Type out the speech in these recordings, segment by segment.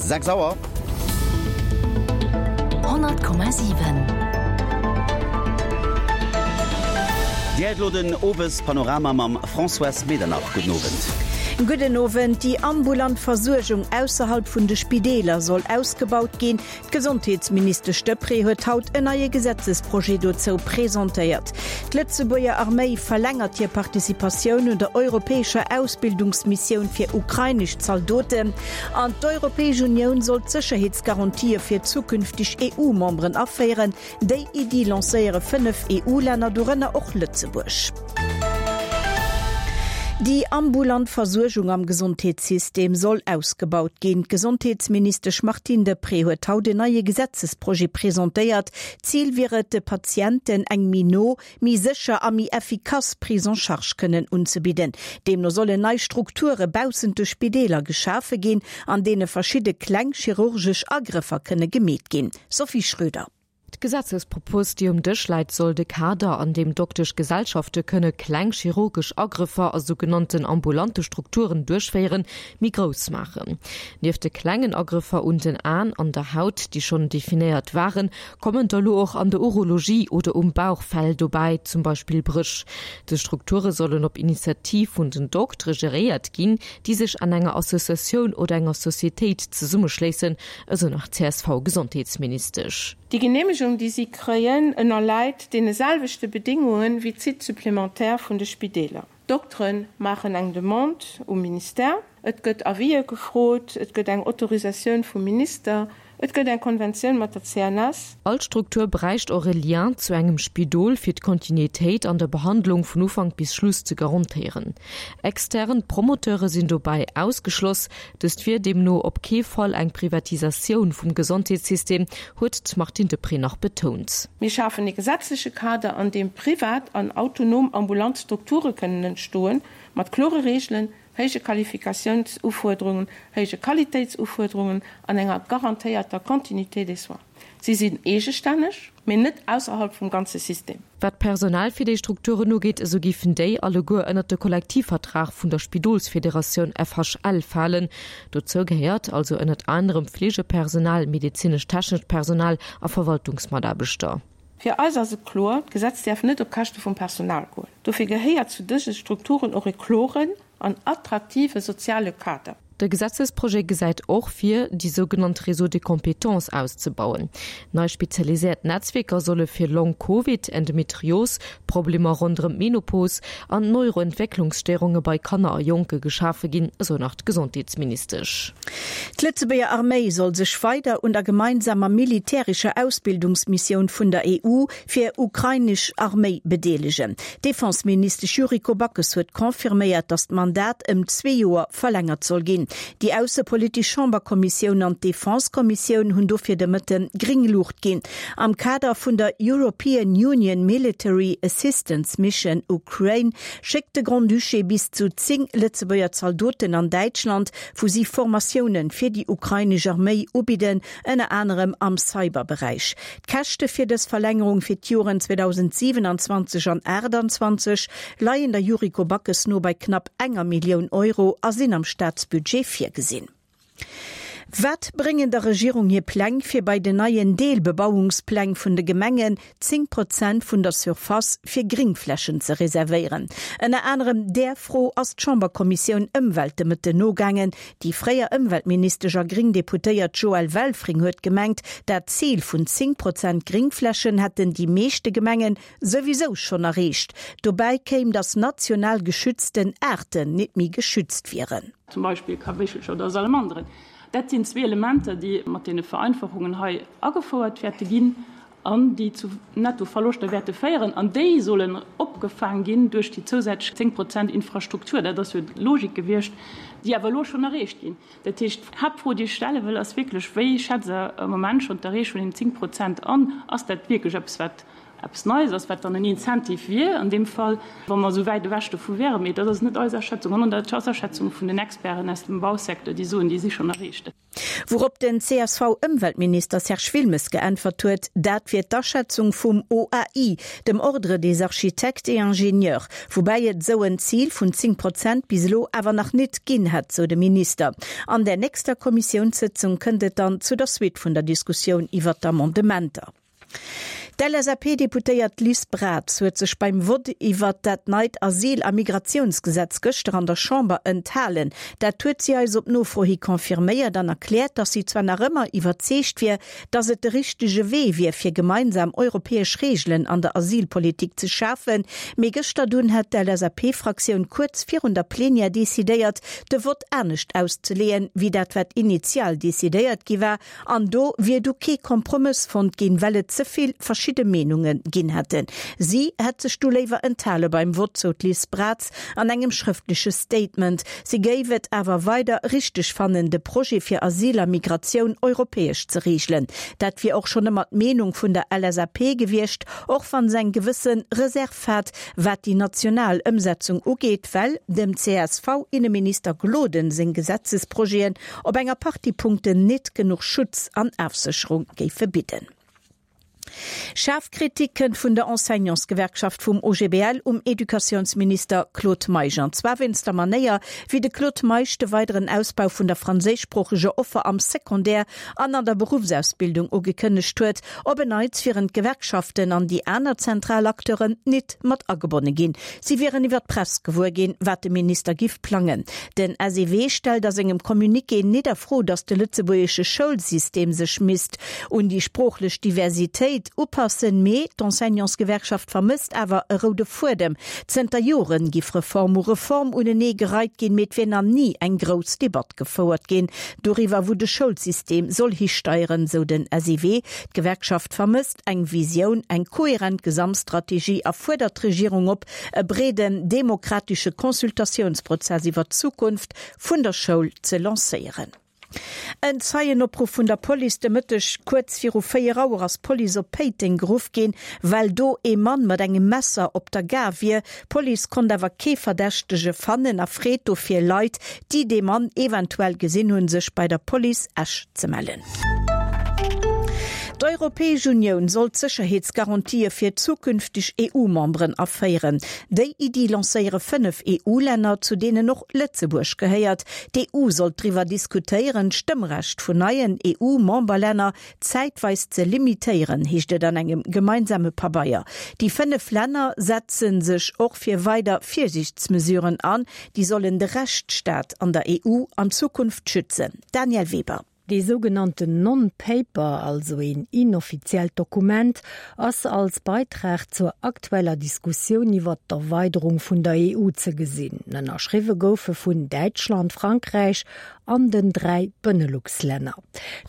6 Auer. 100,7. Dir héiert elo den Owespanorama mam Françoise Medernach. Gudden Owend. Gudden Owend. Déi ambulant Versuergung ausserhalb vun de Spideeler soll ausgebaut ginn. D'Gesondheetsministesch Deprez huet haut en neie Gesetzesprojet dozou presentéiert. D'Lëtzebuerger Arméi verlängert hir Participatioun un der europäescher Ausbildungsmissioun fir ukrainesch Zaldoten. An d'Europäesch Unioun soll d'Sécherheetsgarantië fir zukünfteg EU-Memberen aféieren. Déi Iddi lancéiere 5 EU-Länner, dorënner och Lëtzebuerg. Déi ambulant Versuergung am Gesondheetssystem soll ausgebaut ginn. D'Gesondheetsministesch Martine Deprez huet haut en neie Gesetzesprojet presentéiert. Zil wier et, de Patienten eng méi no, méi sécher a méi effikass Prise en charge kënnen unzebidden. Deemno sollen nei Strukture baussent de Spideeler geschafe ginn, an deene verschidde kleng chirurgesch Agrëffer kënne gemeet ginn. Sophie Schröder. D'Gesetzespropos, déi um Dësch läit, soll de Kader, an deem Dokteschgesellschafte kënne kleng chirurgesch Agrëffer a sougenannten ambulante Strukturen duerchféieren, méi grouss maachen. Nieft de klengen Agrëffer un den Aen an der Haut, déi schonn definéiert waren, kommen der elo och an der Urologie oder um Bauch Fäll dobäi, zum Beispill Bréch. Dës Strukture sollen op Initiativ vun den Doktere geréiert ginn, déi sech an enger Associatioun oder enger Societéit zesummeschléissen, Esou nach d'CSV-Gesondheetsministesch. Déi Geneemegung, déi si kréien, ënnerläit deene selwechte Bedéngunge wéi d'Sites supplémentaires vun de Spideeler. D'Doktere maachen eng Demande um Ministère, et gëtt Avisë gefrot, et gëtt eng Autorisatioun vum Minister, et gëtt eng Konventioun mat der CNS. All Struktur bräicht och e Lien zu engem Spidol, fir d'Kontinuitéit an der Behandlung vun Ufank bis Schluss ze garantéieren. Extern Promoteure sinn dobäi ausgeschloss. Dëst wier deemno op kee Fall eng Privatisatioun vum Gesondheetssystem, huet d'Martine Deprez nach betount. Mir schafen ee gesetzleche Kader, an deem privat an autonom ambulant Strukture kënnen entstoen, mat klore Reegelen, héije Qualifikatiounsufuerderungen, héije Qualitéitsufuerderungen an enger garantéierter Continuité des soins. Si sinn eegestänneg, mee net ausserhalb vum ganze System. Wat d'Personal fir déi Strukturen ugeet, esou géifen déi alleguer ënnert de Kollektivvertrag vun der Spidolsfederatioun FHL falen. Dozou gehéiert also ënnert anerem Fleegepersonal, medezinesch-technescht Personal a Verwaltungsmataarbechter. Fir eis ass et kloer, D'Gesetz däerf net op Käschte vum Personal goen. Dofir gehéiert zu dëse Strukturen och e kloren an attraktive soziale Kader. De Gesetzesprojet gesäit och vir, déi sougenannt Réseaux de compétences auszebauen. Nei spezialiséiert Netzwierker solle fir Long-Covid, Endometrios, Problemer ronderëm d'Menopos an Neuroentwécklungsstéierunge bei Kanner a Jonke geschafe ginn, esou nach d'Gesondheetsministesch. D'Lëtzebuerger Arméi soll sech weider un der gemeinsamer militärescher Ausbildungsmissioun vun der EU fir ukrainesch Arméi bedeelegen. D'Defenseministesch Yuriko Backes huet confirméiert, datt d'Mandat ëm zwee Joer verlängert soll ginn. Déi aussepolitesch Chamberkommissioun an d'Defensekommissioun hunn dofir de Mëtte gréng Luucht ginn. Am Kader vun der European Union Military Assistance Mission Ukraine schéckt de Grand-Duché bis zu 10 Lëtzebuerger Zaldoten an Däitschland, wou si Formatioune fir déi ukrainesch Arméi ubidden, ënner anerem am Cyberberäich. D'Käschte fir dës Verlängerung fir d'Joren 2027 an 28 leien der Yuriko Backes no bei knapp enger Millioun Euro a sinn am Staatsbudget virgesinn. Wat bréngen der Regierung hir Pläng, fir bei den neien Deelbebauungspläng vun de Gemengen 10 Prozent vun der Surface fir Gringflächen ze reservéieren? Ënner anerem där Fro ass d'Chamberkommissioun Ëmwelt de Mëtten nogaangen. Déi fréier Ëmweltministesch a gréng Deputéiert Joëlle Welfring huet gemengt, dat Zil vun 10 Prozent Gringflächen hätten déi meeschte Gemengen souwisou schonn erreecht. Dobäi kéim, datt national geschützten Aarten nit méi geschützt wieren. Zum Beispill Kaméchelcher oder Salamanderen. Dat sinn zwee Elementer, déi mat deene Vereinfachungen hei agefouert wäerte ginn an déi zu Nettoverloschter wäerte féieren, an déi sollen opgefaang ginn duerch déi zousätzlech 10 Prozent Infrastruktur, dat ass jo d'Logik gewiescht, déi awer elo schonn erreecht ginn. Dat heescht, d'Haaptfro, déi ech stelle wëll, ass wierklech, Wéi schätzt Der am Moment schonn d'Erreechung vun deenen 10 Prozent an? Ass dat wierklech eppes, wat eppes Neies ass, wat dann en Incentive wier an deem Fall, wa mer esou wäit ewech dovu wäeren? Mee dat ass net eis Aschätzung, sondern dat ass d'Aschätzung vun den Experten aus dem Bausecteur, déi soen, déi si schonn erreecht. Wourop den CSV-Ëmweltminister Serge Wilmes geäntwert huet, dat wier d'Aschätzung vum OAI, dem Ordre des architectes et ingénieurs, woubäi et esou en Zil vun 10 Prozent bis elo awer nach nit ginn hätt, sou de Minister. An där nächster Kommissiounssëtzung kënnt et dann zu der Suite vun der Diskussioun iwwert d'Amendementer. D'LSAP-Deputéiert Liz Braz huet sech beim Vott iwwert dat neit Asyl a Migratiounsgesetz gëschter an der Chamber enthalen. Dat huet si eis op Nofro hi confirméiert an erkläert, datt si zwar nach ëmmer iwwerzeegt wier, datt et de richtege Wee wier, fir gemeinsam europäesch Reegelen an der Asylpolitik ze schafen. Mee gëschter dunn hätt d'LSAP-Fraktioun kuerz virun der Plenière decidéiert, de Vott anescht auszeleeën, wéi dat wat initial decidéiert gi war. An do wier du kee Kompromëss fonnt ginn, well et ze vill verschidde Meenunge ginn hätten. Si hätt sech du léiwer enthale beim Vott, sou d'Liz Braz an engem schrëftleche Statement. Si géif et awer weider richteg fannen, de Projet fir Asyl a Migratioun europäesch ze reegelen. Dat wier och schonn ëmmer d'Meenung vun der LSAP gewiescht, och wann se eng gewësse Reserv hat, wat déi national Ëmsetzung ugeet, well dem CSV-Inneminister Gloden seng Gesetzesprojeten op enger Partie Punkten nit genuch Schutz an Afsécherung géife bidden. Schaarf Kritik kënnt vun der Enseignantsgewerkschaft vum OGBL um Educatiounsminister Claude Meisch. An zwar wéinst der Manéier, wéi de Claude Meisch de weideren Ausbau vun der franséischsproocheger Offer am Secondaire an an der Beruffsausbildung ugekënnegt huet. Op en Neits wieren d'Gewerkschaften an déi aner zentral Acteuren nit mat agebonne ginn. Si wieren iwwer d'Press gewuer ginn, wat de Minister giff plangen. Den SEW stellt a sengem Communiqué nit a Fro, datt de lëtzebuergesche Schoulsystem sech misst un déi sproochlech Diversitéit upassen, mee d'Enseignantsgewerkschaft vermësst awer e roude Fuedem. Zënter Joren giff Reform u Reform unenee gereit ginn, mee et wier nach ni eng grouss Debatt gefouert ginn doriwwer, wou de Schoulsystem soll histeieren, sou den SEW. D'Gewerkschaft vermësst eng Visioun, eng kohärent Gesamtstrategie a fuerdert d'Regierung op, e breeden demokratesche Consultatiounsprozess iwwer d'Zukunft vun der Schoul ze lancéieren. En Zeienopruff vun der Police de Mëtteg kuerz viru 4 Auer ass d'Police op Péiteng geruff ginn, well do ee Mann mat engem Messer op der Gare wier. D'Police konnt awer kee Verdächtege fannen a freet dofir Leit, déi dee Mann eventuell gesinn hunn, sech bei der Police Esch ze mellen. D'Europäesch Unioun soll d'Sécherheetsgarantië fir zukünfteg EU-Memberen aféieren. Déi Iddi lancéiere 5 EU-Länner, zu deenen och Lëtzebuerg gehéiert. D'EU sollt driwwer diskutéieren, d'Stëmmrecht vun neien EU-Memberlänner zäitweis ze limitéieren, heescht et an engem gemeinsame Pabeier. Déi 5 Länner setze sech och fir weider Virsiichtsmesuren an, déi sollen de Rechtsstaat an der EU an Zukunft schützen. Danièle Weber. Dee sougenannten Non-Paper, also een inoffiziellt Dokument, ass als Beitrag zur aktueller Diskussioun iwwert d'Erweiderung vun der EU ze gesinn. Ënnerschriwwe goufe vun Däitschland, Frankräich an den 3 Benelux-Länner.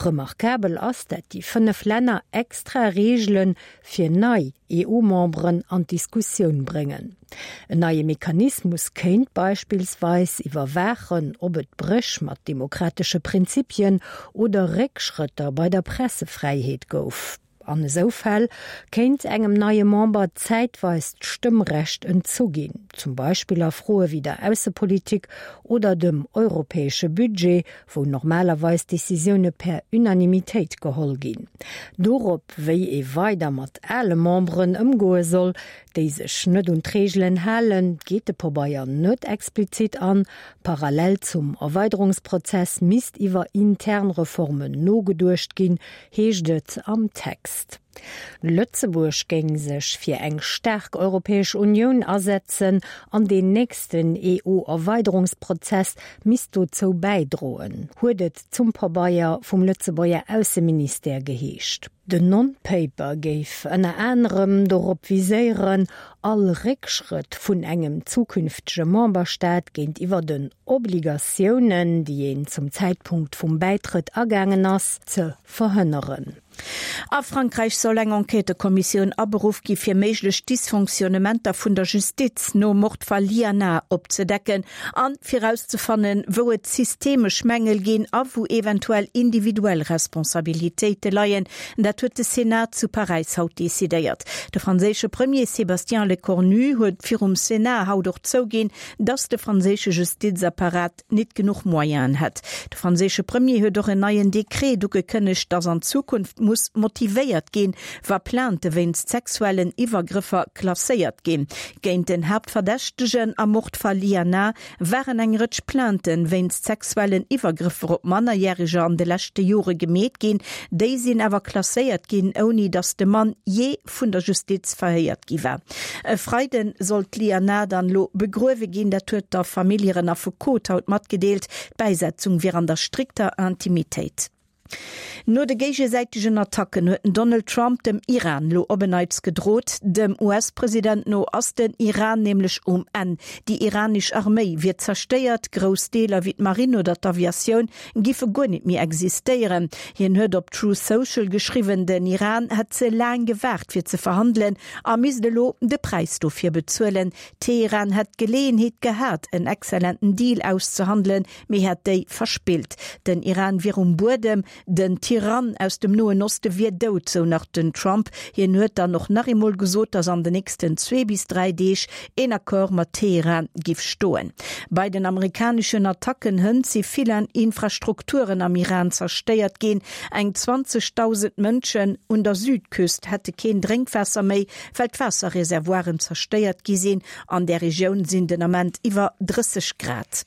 Remarkabel ass, dat déi 5 Länner extra Reegele fir nei EU-Memberen an d'Diskussioun bréngen. En neie Mechanismus kéint beispillsweis iwwerwaachen, ob et Bréch mat demokratesche Prinzipien oder Réckschrëtter bei der Pressefräiheet gouf. An esou Fäll kéint engem neie Member zäitweis d'Stëmmrecht entzu ginn, zum Beispill a Froe wéi der Aussepolitik oder dem europäesche Budget, wou normalerweis Decisioune per Unanimitéit geholl ginn. Dorop, wéi ee weider mat ale Memberen ëmgoe soll, déi sech net un d'Reegelen halen, geet de Pobeier net explizit an. Parallel zum Erweiderungsprozess misst iwwer intern Reformen nogeduecht ginn, heescht et am Text. Lëtzebuerg géing sech fir eng staark Europäesch Unioun asetzen an deen nächsten EU-Erweiderungsprozess misst dozou bäidroen, huet et zum Pabeier vum Lëtzebuerger Ausseministère geheescht. Den Non-Paper géif ënner anerem dorop viséieren, all Réckschrëtt vun engem zukünftege Memberstaat géintiwwer den Obligatiounen, déi een zum Zäitpunkt vum Bäitrëtt agaangen ass, ze verhënneren. A Frankräich soll eng Enquêtëkommissioun aberuff gi fir méiglech Dysfonctionnementer vun der Justiz nom Mordfall Liana opzedecken an fir erauszefannen, wou et systemesch Mängel ginn a wou eventuell individuell Responsabilitéite leien. Dat huet de Senat zu Paräis haut decidéiert. De franséische Premier Sébastien Lecornu huet virum Senat haut och zouginn, datt de franséische Justizapparat nit genuch Moyenen hätt. De franséische Premier huet och en neien Dekret ugekënnegt, datt an Zukunft muss motivéiert ginn, wa Plainte wéinst sexuellen Iwwergrëffer klasséiert ginn. Géint den Haaptverdächtegen am Mordfall Liana waren eng Rëtsch Plainte wéinst sexuellen Iwwergrëffer op Mannerjäreger an de leschte Jore gemeet ginn. Déi sinn awer klasséiert ginn, ouni datt de Mann jee vun der Justiz verhéiert gi war. E Freide soll d'Liana dann elo begruewe ginn, dat huet der Famill hiren Affekot haut matgedeelt. D'Bäisetzung wier an der strikter Intimitéit. No de géigesäitegen Attacken huet den Donald Trump dem Iran lo op en Neits gedrot. Dem US-President no ass den Iran nämlech um Enn. Déi iranesch Arméi wier zerstéiert, grouss Deeler wéi d'Marinn oder d'Aviatioun giffe guer nit méi existéieren. Hien huet op Truth Social geschriwwen, den Iran hätt ze laang gewaart fir ze verhandelen a misst elo de Präis dofir bezuelen. Teheran hätt d'Geleeënheet gehat en exzellenten Deal auszehandelen, mee hätt déi verspillt. Den Iran wier um Buedem, den Tyrann aus dem Noen Oste wier dout, sou nach den Trump. Hien huet dann och nach eemol gesot, datt an den nächsten zwee bis 3 Deeg een Accord mat Teheran giff stoen. Bei den amerikaneschen Attacken hënt si vill Infrastrukturen am Iran zerstéiert ginn. Eng 20.000 Mënschen un der Südküst hätte keen Drénkwaasser méi, well d'Waasserreservoiren zerstéiert gi sinn. An där Regioun sinn den Ament iwwer 30 Grad.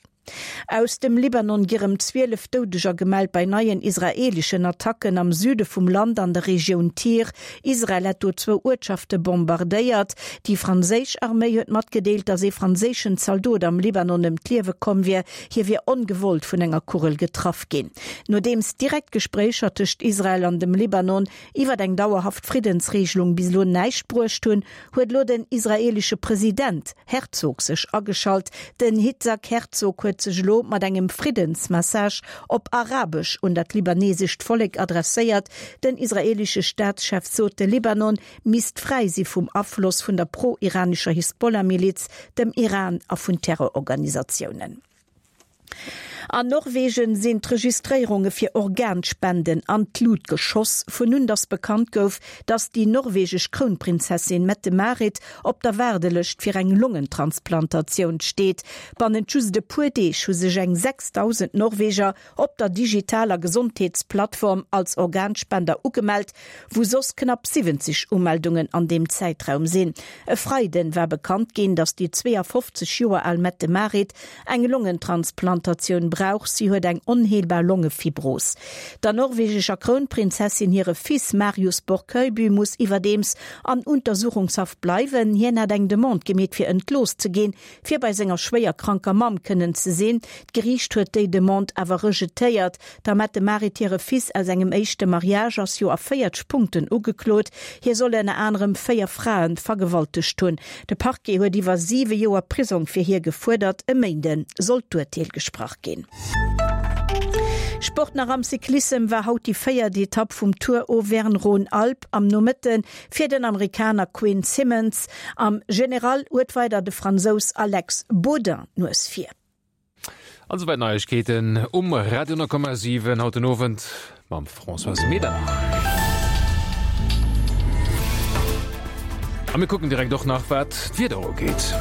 Aus dem Libanon gi rëm 12 Doudeger gemellt bei neien israeeleschen Attacken am Süde vum Land an der Regioun Tyr. Israel hätt do zwou Uertschafte bombardéiert. Déi franséisch Arméi huet matgedeelt, datt ee franséischen Zaldot am Libanon ëm d'Liewe komm wier. Hie wier ongewollt vun enger Kugel getraff ginn. Nodeems direkt Gespréicher tëscht Israel an dem Libanon iwwer eng dauerhaft Friddensreegelung bis elo näischt bruecht hunn, huet elo den israeelesche President Herzog sech ageschalt. Den Hitzak Herzog huet sech elo mat engem Friddensmessage op Arabesch un dat libanesescht Vollek adresséiert. Den israeelesche Staatschef sot, de Libanon misst fräi si vum Afloss vun der pro-iranescher Hisbollah-Miliz, dem Iran a vun Terrororganisatiounen. An Norwegen sinn d'Registréierunge fir Organspenden an d'Lut geschoss, vun un datt bekannt gouf, datt déi norwegesch Krounprinzessin Mette-Marit op der Waardelëscht fir eng Longentransplantatioun steet. Bannent just e puer Deeg hu sech eng 6.000 Norweger op der digitaler Gesondheetsplattform als Organspender ugemellt, wou soss knapp 70 Umeldungen an deem Zäitraum sinn. E Freiden war bekannt ginn, datt déi 52 Joer al Mette-Marit eng Longentransplantatioun brauch. Si huet eng onheelbar Longefibros. Der norwegescher Krounprinzessin hire Fils Marius Borg-Høiby muss iwwerdeems an Untersuchungshaft bleiwen. Hien hat eng Demande gemeet fir entlooss ze ginn, fir bei senger schwéier kranker Mamm kënnen ze sinn. D'Geriicht huet déi Demande awer rejetéiert. Der Mette-Marit hire Fils aus engem éischte Mariage ass jo a 40 Punkten ugeklot. Hie soll ënner anerem 4 Frae vergewaltegt hunn. De Parquet huet iwwer 7 Joer Prisong fir hie gefuerdert. E Méinde soll d'Urteel gesprach ginn. Sport nach Am Cyclissem war haut déi véiert Etapp vum Tour Auvergne-Rhône-Alpes am Nomëtte fir den Amerikaner Quinn Simmons. Am General huet weider de Fransous Alex Baudin d'Nues vir. An souwäit Neiegkeeten um Radio 10,7 haut den Owend mam Françoise Medernach. A mir kucken direkt och nach wat d'Wieder ugeet.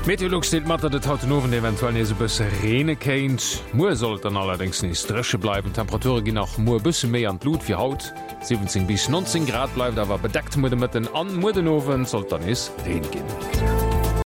Meteolux deelt mat, datt et haut den Owend eventuell nees e bësse reene kéint. Muer soll et dann allerdéngs nees dréche bleiwen. D'Temperature ginn nach muer e bësse méi an d'Lut wéi haut, 17 bis 19 Grad, bleift awer bedeckt. Muer de Mëtten an muer den Owend soll et dann nees Reen ginn.